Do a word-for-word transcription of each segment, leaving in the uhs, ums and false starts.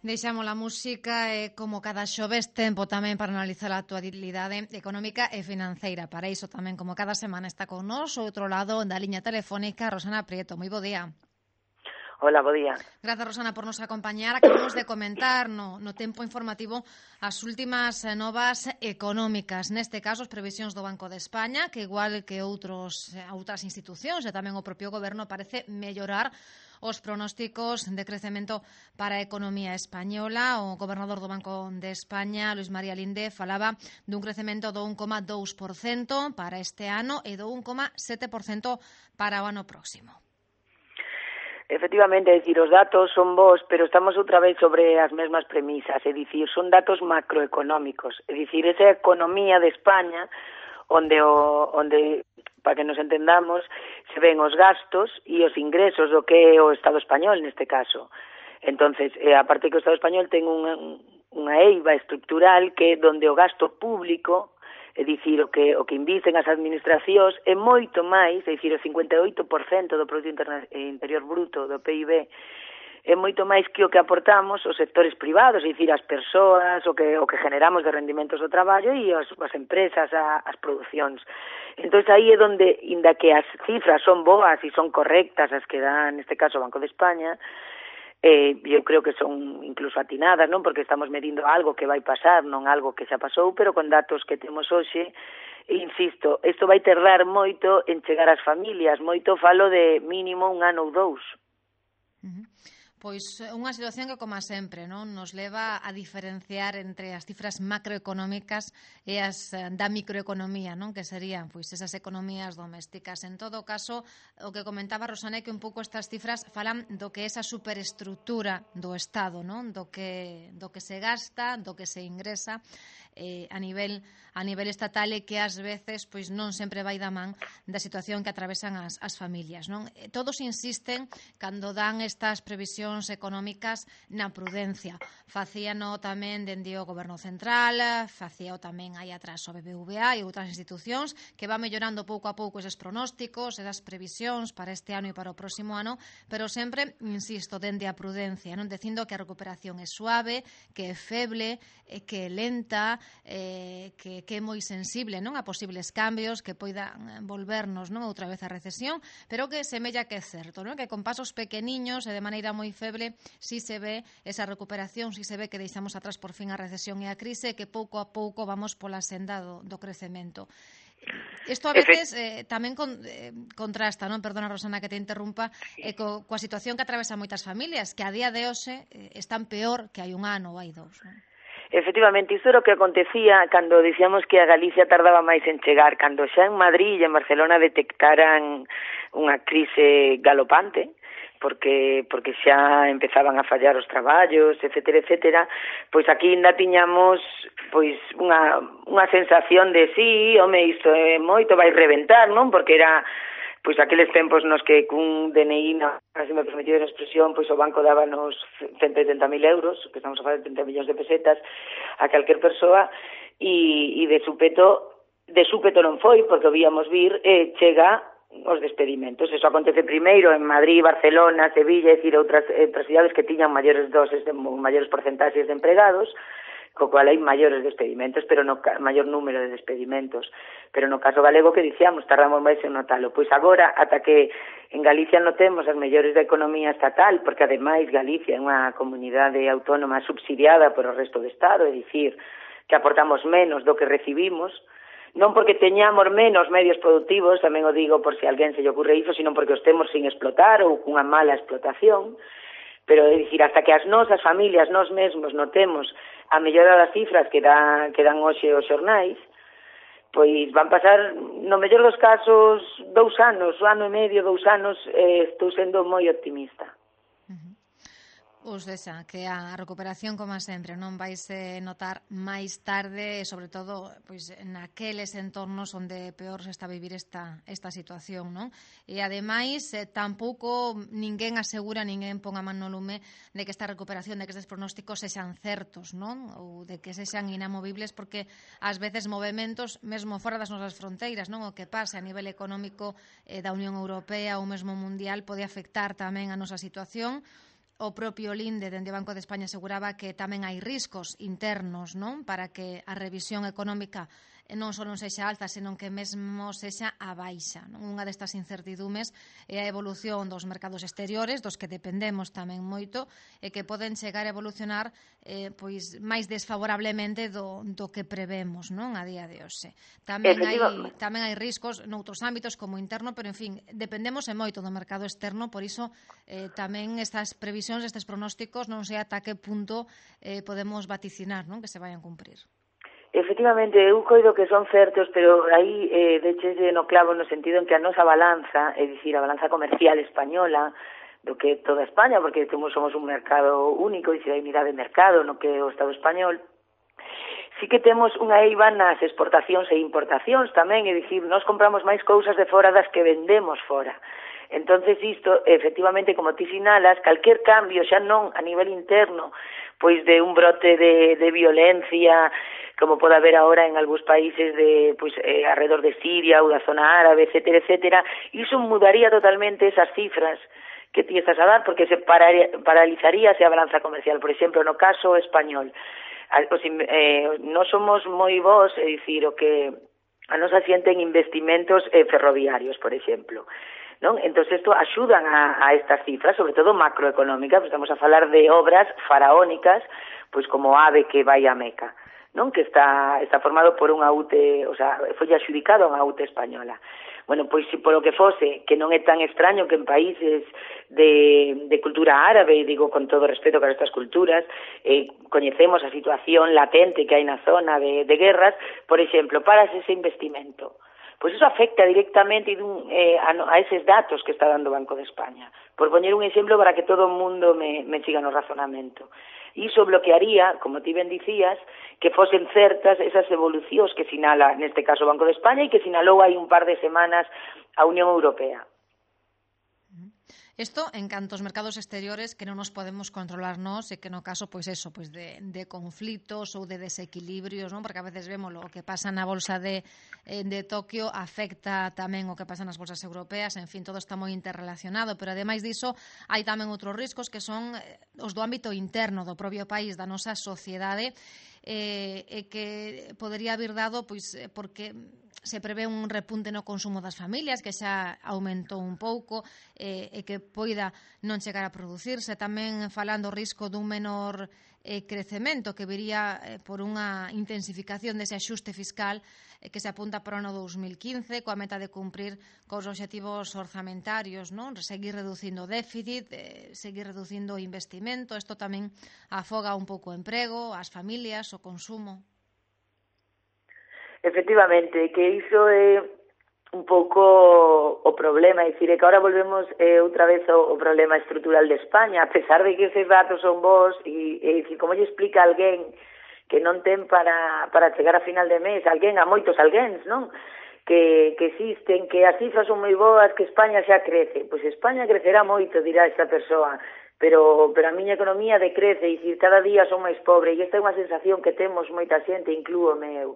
Deixamos a música e, como cada xoves, tempo tamén para analizar a actualidade económica e financeira. Para iso tamén, como cada semana, está con nós, ao outro lado da liña telefónica, Rosana Prieto. Moi bo día. Hola, bo día. Grazas, Rosana, por nos acompañar. Acabamos de comentar no, no tempo informativo as últimas novas económicas. Neste caso, as previsións do Banco de España, que igual que outros, outras institucións e tamén o propio goberno, parece mellorar os pronósticos de crecemento para a economía española. O gobernador do Banco de España, Luis María Linde, falaba dun crecemento do un coma dous por cento para este ano e do un coma sete por cento para o ano próximo. Efectivamente, é dicir, os datos son bons, pero estamos outra vez sobre as mesmas premisas, é dicir, son datos macroeconómicos, é dicir, esa economía de España onde o onde para que nos entendamos, se ven os gastos e os ingresos do que é o Estado español neste caso. Entonces, eh, aparte que o Estado español ten unha, unha eiva estructural que é donde o gasto público, é dicir, o que o que invisten as administracións é moito máis, é dicir, o cincuenta e oito por cento do Produto Interior Bruto do P I B é moito máis que o que aportamos os sectores privados, é dicir, as persoas, o que o que generamos de rendimentos do traballo e as, as empresas, a, as producións. Entón, aí é onde, inda que as cifras son boas e son correctas as que dá, neste caso, o Banco de España, eh, eu creo que son incluso atinadas, non? Porque estamos medindo algo que vai pasar, non algo que xa pasou, pero con datos que temos hoxe, e insisto, isto vai tardar moito en chegar ás familias, moito falo de mínimo un ano ou dous. Uh-huh. Pois unha situación que, como sempre, non nos leva a diferenciar entre as cifras macroeconómicas e as da microeconomía, non? Que serían pois esas economías domésticas. En todo caso, o que comentaba Rosana é que un pouco estas cifras falan do que é esa superestructura do Estado, non? Do que do que se gasta, do que se ingresa eh, a nivel a nivel estatal e que ás veces pois non sempre vai da man da situación que atravesan as, as familias, non? Todos insisten cando dan estas previsións económicas na prudencia. Facíano tamén dende o Goberno Central, facíao tamén aí atrás o B B V A e outras institucións que van mellorando pouco a pouco eses pronósticos, esas previsións para este ano e para o próximo ano, pero sempre, insisto, dende a prudencia, non dicindo que a recuperación é suave, que é feble, que é lenta, eh, que, que é moi sensible, non, a posibles cambios que poidan volvernos, non, outra vez a recesión, pero que semella que é certo, non, que con pasos pequeniños e de maneira moi feble si se ve esa recuperación, si se ve que deixamos atrás por fin a recesión e a crise, que pouco a pouco vamos pola senda do, do crecemento. Isto a veces eh, tamén con, eh, contrasta, non? Perdona, Rosana, que te interrumpa, eh, co, coa situación que atravesa moitas familias, que a día de hoxe eh, están peor que hai un ano ou hai dous, non? Efectivamente, isto era o que acontecía cando dicíamos que a Galicia tardaba máis en chegar, cando xa en Madrid e en Barcelona detectaran unha crise galopante, porque porque xa empezaban a fallar os traballos, etcétera, etcétera, pois aquí ainda tiñamos pois unha unha sensación de sí, home, isto é moito, vai reventar, non? Porque era pois aqueles tempos nos que cun D N I, no, se me permitido a expresión, pois o banco dábanos ciento oitenta mil euros, que estamos a falar de trinta millóns de pesetas, a calquer persoa, e, e de súpeto, de súpeto non foi, porque o víamos vir, e chega os despedimentos. Eso acontece primeiro en Madrid, Barcelona, Sevilla, é dicir, outras, outras cidades que tiñan maiores doses, de, maiores porcentaxes de empregados, co cual hai maiores despedimentos, pero no maior número de despedimentos. Pero no caso galego que dicíamos, tardamos máis en notalo. Pois agora, ata que en Galicia notemos as mellores da economía estatal, porque ademais Galicia é unha comunidade autónoma subsidiada por o resto do Estado, é dicir, que aportamos menos do que recibimos, non porque teñamos menos medios productivos, tamén o digo por se alguén se lle ocurre iso, sino porque os temos sin explotar ou cunha mala explotación. Pero, é dicir, hasta que as nosas familias, nós mesmos, notemos a mellora das cifras que, da, que dan hoxe os xornais, pois van pasar, no mellor dos casos, dous anos, un ano e medio, dous anos, eh, estou sendo moi optimista. Os desa, que a recuperación, como sempre, non vaise notar máis tarde, e sobre todo pois naqueles entornos onde peor se está a vivir esta, esta situación, non? E ademais, eh, tampouco ninguén asegura, ninguén pon a man no lume de que esta recuperación, de que estes pronósticos sexan certos, non? Ou de que sexan inamovibles, porque ás veces movementos, mesmo fora das nosas fronteiras, non? O que pase a nivel económico eh, da Unión Europea ou mesmo mundial pode afectar tamén a nosa situación, o propio Linde, dende o Banco de España, aseguraba que tamén hai riscos internos, non, para que a revisión económica non só non sexa alta, senón que mesmo sexa a baixa. Non? Unha destas incertidumes é a evolución dos mercados exteriores, dos que dependemos tamén moito, e que poden chegar a evolucionar eh, pois máis desfavorablemente do, do que prevemos, non, a día de hoxe. Tamén hai, tamén hai riscos noutros ámbitos como interno, pero en fin, dependemos e moito do mercado externo, por iso eh, tamén estas previsións, estes pronósticos, non sei ata que punto eh, podemos vaticinar, non, que se vayan cumprir. Efectivamente, eu coido que son certos, pero aí eh, dechese no clavo no sentido en que a nosa balanza, é dicir, a balanza comercial española, do que toda España, porque temos, somos un mercado único, e se hai unidade de mercado no que é o Estado español, sí que temos unha eiva nas exportacións e importacións tamén, é dicir, nós compramos máis cousas de fora das que vendemos fora. Entonces isto, efectivamente, como ti sinalas, calquer cambio, xa non a nivel interno, pois de un brote de, de violencia, como pode haber ahora en algúns países de, pois, eh, alrededor de Siria ou da zona árabe, etcétera, etcétera, iso mudaría totalmente esas cifras que ti estás a dar, porque se paralizaría a balanza comercial. Por exemplo, no caso español, os, eh, non somos moi bons, é dicir, o que a nos asienten investimentos eh, ferroviarios, por exemplo, non? Entón, isto axudan a, a estas cifras, sobre todo macroeconómicas, pues estamos a falar de obras faraónicas, pois como AVE que vai a Meca, non? Que está está formado por unha U T E, o sea, foi adjudicado a unha U T E española. Bueno, pois se polo que fose, que non é tan extraño que en países de, de cultura árabe, digo con todo respeto para estas culturas, eh, coñecemos a situación latente que hai na zona de, de guerras, por exemplo, para ese investimento. Pois iso afecta directamente dun, eh, a, a eses datos que está dando o Banco de España. Por poñer un exemplo para que todo o mundo me, me siga no razonamento. Iso bloquearía, como ti ben dicías, que fosen certas esas evolucións que sinala, neste caso, o Banco de España e que sinalou hai un par de semanas a Unión Europea. Isto en canto aos mercados exteriores que non nos podemos controlar nós e que no caso, pois eso, pois de, de conflitos ou de desequilibrios, non? Porque a veces vemos o que pasa na bolsa de, de Tokio afecta tamén o que pasa nas bolsas europeas, en fin, todo está moi interrelacionado, pero ademais diso hai tamén outros riscos que son os do ámbito interno do propio país, da nosa sociedade, e eh, que podería haber dado, pois, porque se prevé un repunte no consumo das familias, que xa aumentou un pouco, eh, e que poida non chegar a producirse. Tamén falando o risco dun menor eh, crecemento que viría eh, por unha intensificación dese axuste fiscal eh, que se apunta para o ano dos mil quince, coa meta de cumprir cos obxectivos orzamentarios, non? Seguir reducindo o déficit, eh, seguir reducindo o investimento. Isto tamén afoga un pouco o emprego, as familias, o consumo. Efectivamente, que iso é un pouco o problema, é dicir, é que ahora volvemos eh, outra vez ao, ao problema estrutural de España, a pesar de que eses datos son vos, e, e dicir, como lle explica alguén que non ten para, para chegar a final de mes, alguén, a moitos alguéns, non? Que, que existen, que as cifras son moi boas, que España xa crece. Pois España crecerá moito, dirá esta persoa, pero, pero a miña economía decrece, e dicir, cada día son máis pobre, e esta é unha sensación que temos moita xente, inclúome eu.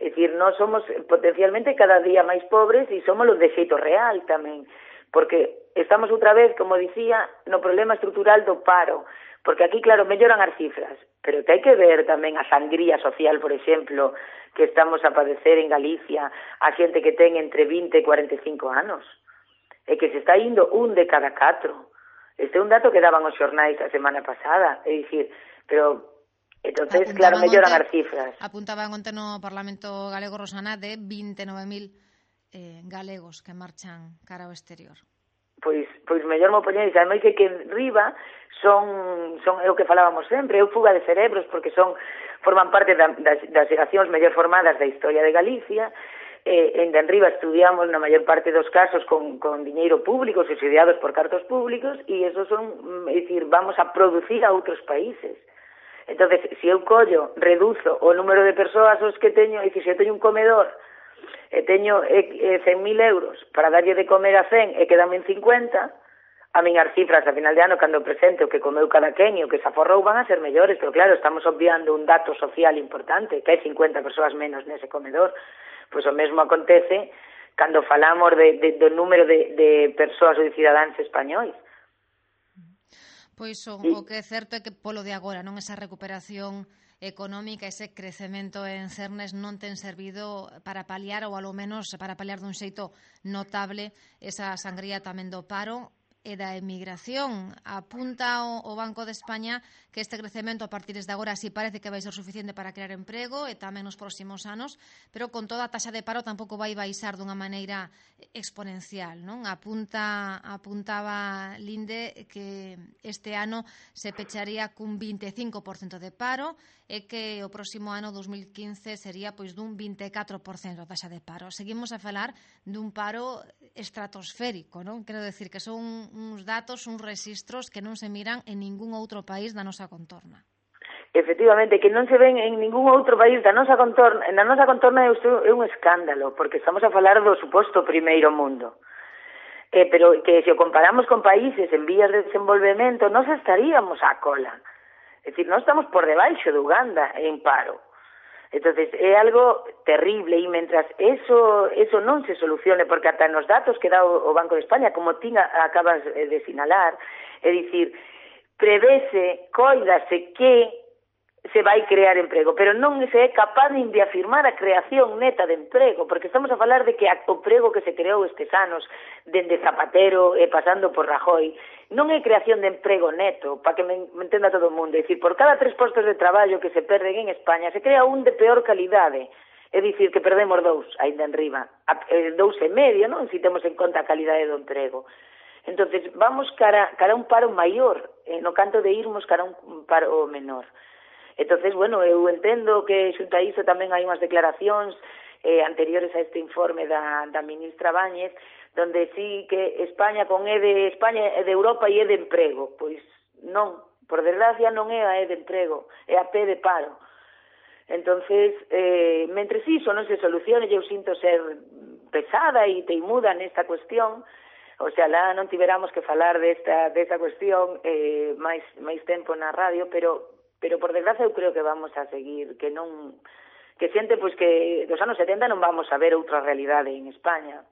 É dicir, nós somos potencialmente cada día máis pobres e somos los de xeito real tamén, porque estamos outra vez, como dicía, no problema estrutural do paro, porque aquí, claro, melloran as cifras, pero que hai que ver tamén a sangría social, por exemplo, que estamos a padecer en Galicia, a xente que ten entre vinte e cuarenta e cinco anos, e que se está indo un de cada catro. Este é un dato que daban os xornais a semana pasada, é dicir, pero... Entonces, claro, melloran as cifras. Apuntaban onte no Parlamento galego, Rosana, de vinte e nove mil eh, galegos que marchan cara ao exterior. Pois, pois mellor mo poñéis, ademais é que en riba son, son é o que falábamos sempre, é fuga de cerebros, porque son forman parte da, das, das xeracións mellor formadas da historia de Galicia, eh, en Enriba estudiamos na maior parte dos casos con, con diñeiro público, subsidiados por cartos públicos, e esos son, é dicir, vamos a producir a outros países. Entonces, se eu collo, reduzo o número de persoas os que teño, e se eu teño un comedor e teño eh, cen mil euros para darlle de comer a cen e quedame en cincuenta, a miñas cifras a final de ano, cando presente o que comeu cada quen e o que se aforrou, van a ser mellores, pero claro, estamos obviando un dato social importante, que hai cincuenta persoas menos nese comedor. Pois o mesmo acontece cando falamos de, de, do número de, de persoas ou de cidadáns españois. Pois o, E... o que é certo é que polo de agora, non, esa recuperación económica, ese crecemento en cernes non ten servido para paliar ou alo menos para paliar dun xeito notable esa sangría tamén do paro e da emigración. Apunta o, o Banco de España que este crecemento a partir de agora sí parece que vai ser suficiente para crear emprego e tamén nos próximos anos, pero con toda a taxa de paro tampouco vai baixar dunha maneira exponencial, non? Apunta, apuntaba Linde que este ano se pecharía cun vinte e cinco por cento de paro e que o próximo ano dos mil quince sería pois dun vinte e catro por cento a taxa de paro. Seguimos a falar dun paro estratosférico, non? Quero decir que son uns datos, uns registros que non se miran en ningún outro país da nosa contorna. Efectivamente, que non se ven en ningún outro país da nosa contorna, na nosa contorna é un escándalo, porque estamos a falar do suposto primeiro mundo. Eh, pero que se o comparamos con países en vías de desenvolvemento, nós estaríamos á cola. É dicir, nós estamos por debaixo de Uganda en paro. Entonces é algo terrible e mentras eso eso non se solucione, porque ata nos datos que dá o Banco de España, como ti acabas de sinalar, é dicir, prevese, coidase que se vai crear emprego, pero non se é capaz de afirmar a creación neta de emprego, porque estamos a falar de que o emprego que se creou estes anos, dende Zapatero e pasando por Rajoy, non é creación de emprego neto, para que me entenda todo o mundo. É dicir, por cada tres postos de traballo que se perden en España, se crea un de peor calidade. É dicir, que perdemos dous, ainda en riba. Dous e medio, non? Si temos en conta a calidade do emprego. Entonces, vamos cara, cara a un paro maior, eh, no canto de irmos cara a un paro menor. Entonces, bueno, eu entendo que xunto a iso tamén hai unhas declaracións eh, anteriores a este informe da, da ministra Báñez, donde sí que España con E de España é de Europa e é de emprego. Pois non, por desgracia non é a E de emprego, é a P de paro. Entonces, eh, mentres iso non se solucione, eu sinto ser pesada e teimuda nesta cuestión, o sea, lá non tiveramos que falar desta, desta cuestión eh, máis, máis tempo na radio, pero pero por desgracia eu creo que vamos a seguir, que non que xente pois que dos anos setenta non vamos a ver outra realidade en España.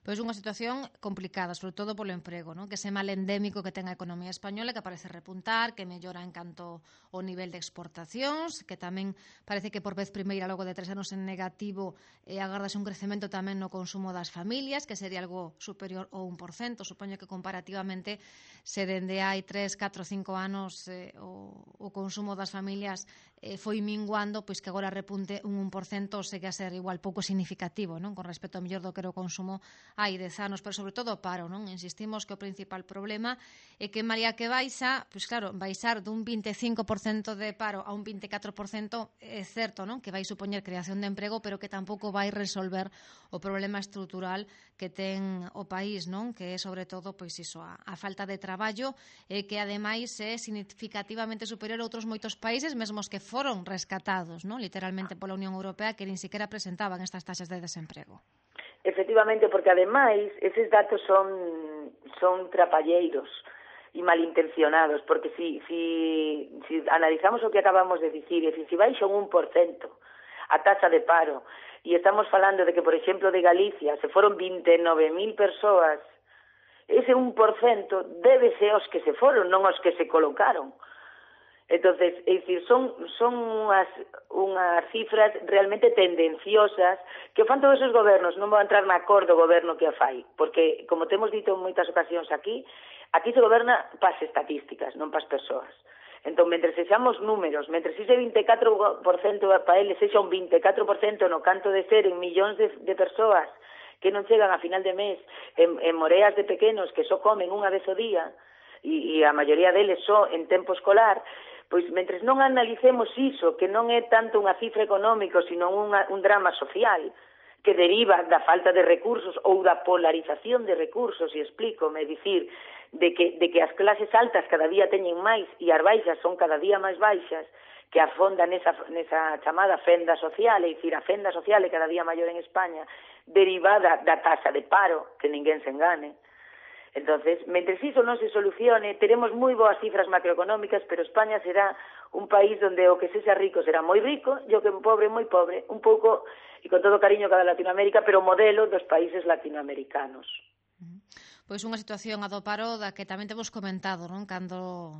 Pois unha situación complicada, sobre todo polo emprego, non? Que ese mal endémico que ten a economía española, que parece repuntar, que mellora en canto ao nivel de exportacións, que tamén parece que por vez primeira logo de tres anos en negativo eh, agardase un crecemento tamén no consumo das familias, que sería algo superior ao un por cento. Supoño que comparativamente se dende hai tres, catro, cinco anos eh, o, o consumo das familias eh, foi minguando, pois que agora repunte un un por cento segue a ser igual pouco significativo, non? Con respecto ao mellor do que era o consumo hai dez anos, pero sobre todo o paro, non? Insistimos que o principal problema é que María que baixa, pois claro, baixar dun vinte e cinco por cento de paro a un vinte e catro por cento é certo, non? Que vai supoñer creación de emprego, pero que tampouco vai resolver o problema estrutural que ten o país, non? Que é sobre todo, pois iso, a, a falta de traballo e que ademais é significativamente superior a outros moitos países, mesmos que foron rescatados, non? Literalmente pola Unión Europea, que nin siquiera presentaban estas taxas de desemprego. Efectivamente, porque ademais eses datos son son trapalleiros e malintencionados, porque si, si, si analizamos o que acabamos de dicir, e si, si baixa un un por cento a taxa de paro, e estamos falando de que, por exemplo, de Galicia se foron vinte e nove mil persoas, ese un por cento debe ser os que se foron, non os que se colocaron. Entonces, é dicir, son, son unhas, unhas cifras realmente tendenciosas que o fan todos os gobernos, non vou entrar na cor do goberno que a fai, porque, como temos dito en moitas ocasións aquí, aquí se goberna pas estatísticas, non pas persoas. Entón, mentre sexamos números, mentre ese vinte e catro por cento para eles sexa un vinte e catro por cento no canto de ser en millóns de, de persoas que non chegan a final de mes, en, en moreas de pequenos que só comen unha vez ao día, e, e a maioría deles só en tempo escolar, pois, mentres non analicemos iso, que non é tanto unha cifra económica, sino unha, un drama social, que deriva da falta de recursos ou da polarización de recursos, e explícome, dicir, de que, de que as clases altas cada día teñen máis e as baixas son cada día máis baixas, que afondan nesa, nesa chamada fenda social, é dicir, a fenda social é cada día maior en España, derivada da taxa de paro, que ninguén se engane. Entonces, mentres iso non se solucione, teremos moi boas cifras macroeconómicas, pero España será un país onde o que sexa rico será moi rico e o que pobre moi pobre, un pouco, e con todo cariño cada Latinoamérica, pero o modelo dos países latinoamericanos. Pois unha situación a do paro da que tamén temos comentado, non? Cando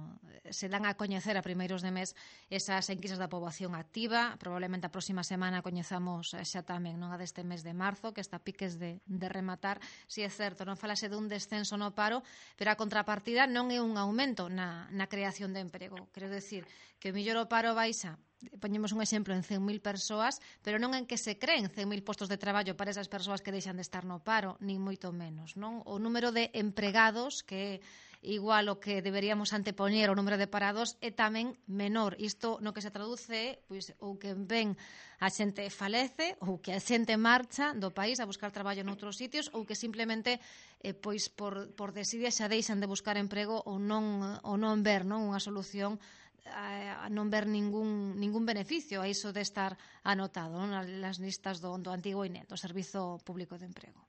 se dan a coñecer a primeiros de mes esas enquisas da poboación activa, probablemente a próxima semana coñezamos xa tamén, non, a deste mes de marzo, que está a piques de, de rematar. Si é certo, non falase dun descenso no paro, pero a contrapartida non é un aumento na, na creación de emprego. Quero decir que o millor o paro baixa, poñemos un exemplo, en cen mil persoas, pero non en que se creen cen mil postos de traballo para esas persoas que deixan de estar no paro, nin moito menos, non? O número de empregados, que é igual o que deberíamos antepoñer o número de parados, é tamén menor. Isto no que se traduce, pois, ou que ven a xente falece, ou que a xente marcha do país a buscar traballo noutros sitios, ou que simplemente eh, pois por, por desidia xa deixan de buscar emprego ou non, ou non ver, non, unha solución a non ver ningún, ningún beneficio a iso de estar anotado, non, nas listas do, do antigo I N E, do Servizo Público de Emprego.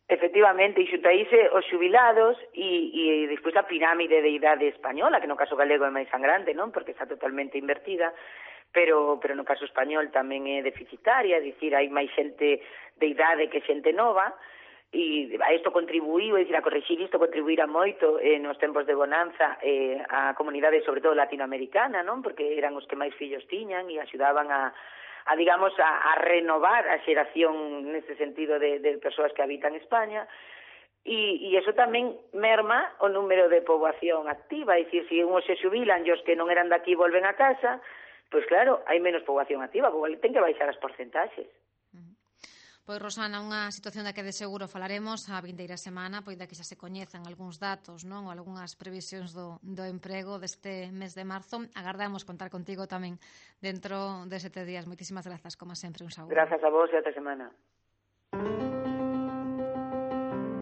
Efectivamente, e xuntaíse os xubilados e, e despois a pirámide de idade española, que no caso galego é máis sangrante, non, porque está totalmente invertida, pero, pero no caso español tamén é deficitaria, é dicir, hai máis xente de idade que xente nova, e a isto contribuíu, é dicir, a corrixir isto contribuíra moito eh, nos tempos de bonanza eh, a comunidade, sobre todo latinoamericana, non? Porque eran os que máis fillos tiñan e axudaban a, a digamos, a, a renovar a xeración nese sentido de, de persoas que habitan España, e, e eso tamén merma o número de poboación activa, é dicir, se unhos se xubilan e os que non eran daqui volven a casa, pois claro, hai menos poboación activa, porque ten que baixar as porcentaxes. Pois, Rosana, unha situación da que de seguro falaremos a vindeira semana, pois da que xa se coñezan algúns datos, non, ou algunhas previsións do, do emprego deste mes de marzo. Agardamos contar contigo tamén dentro de sete días. Moitísimas grazas, como sempre, un saúdo. Grazas a vos e ata semana.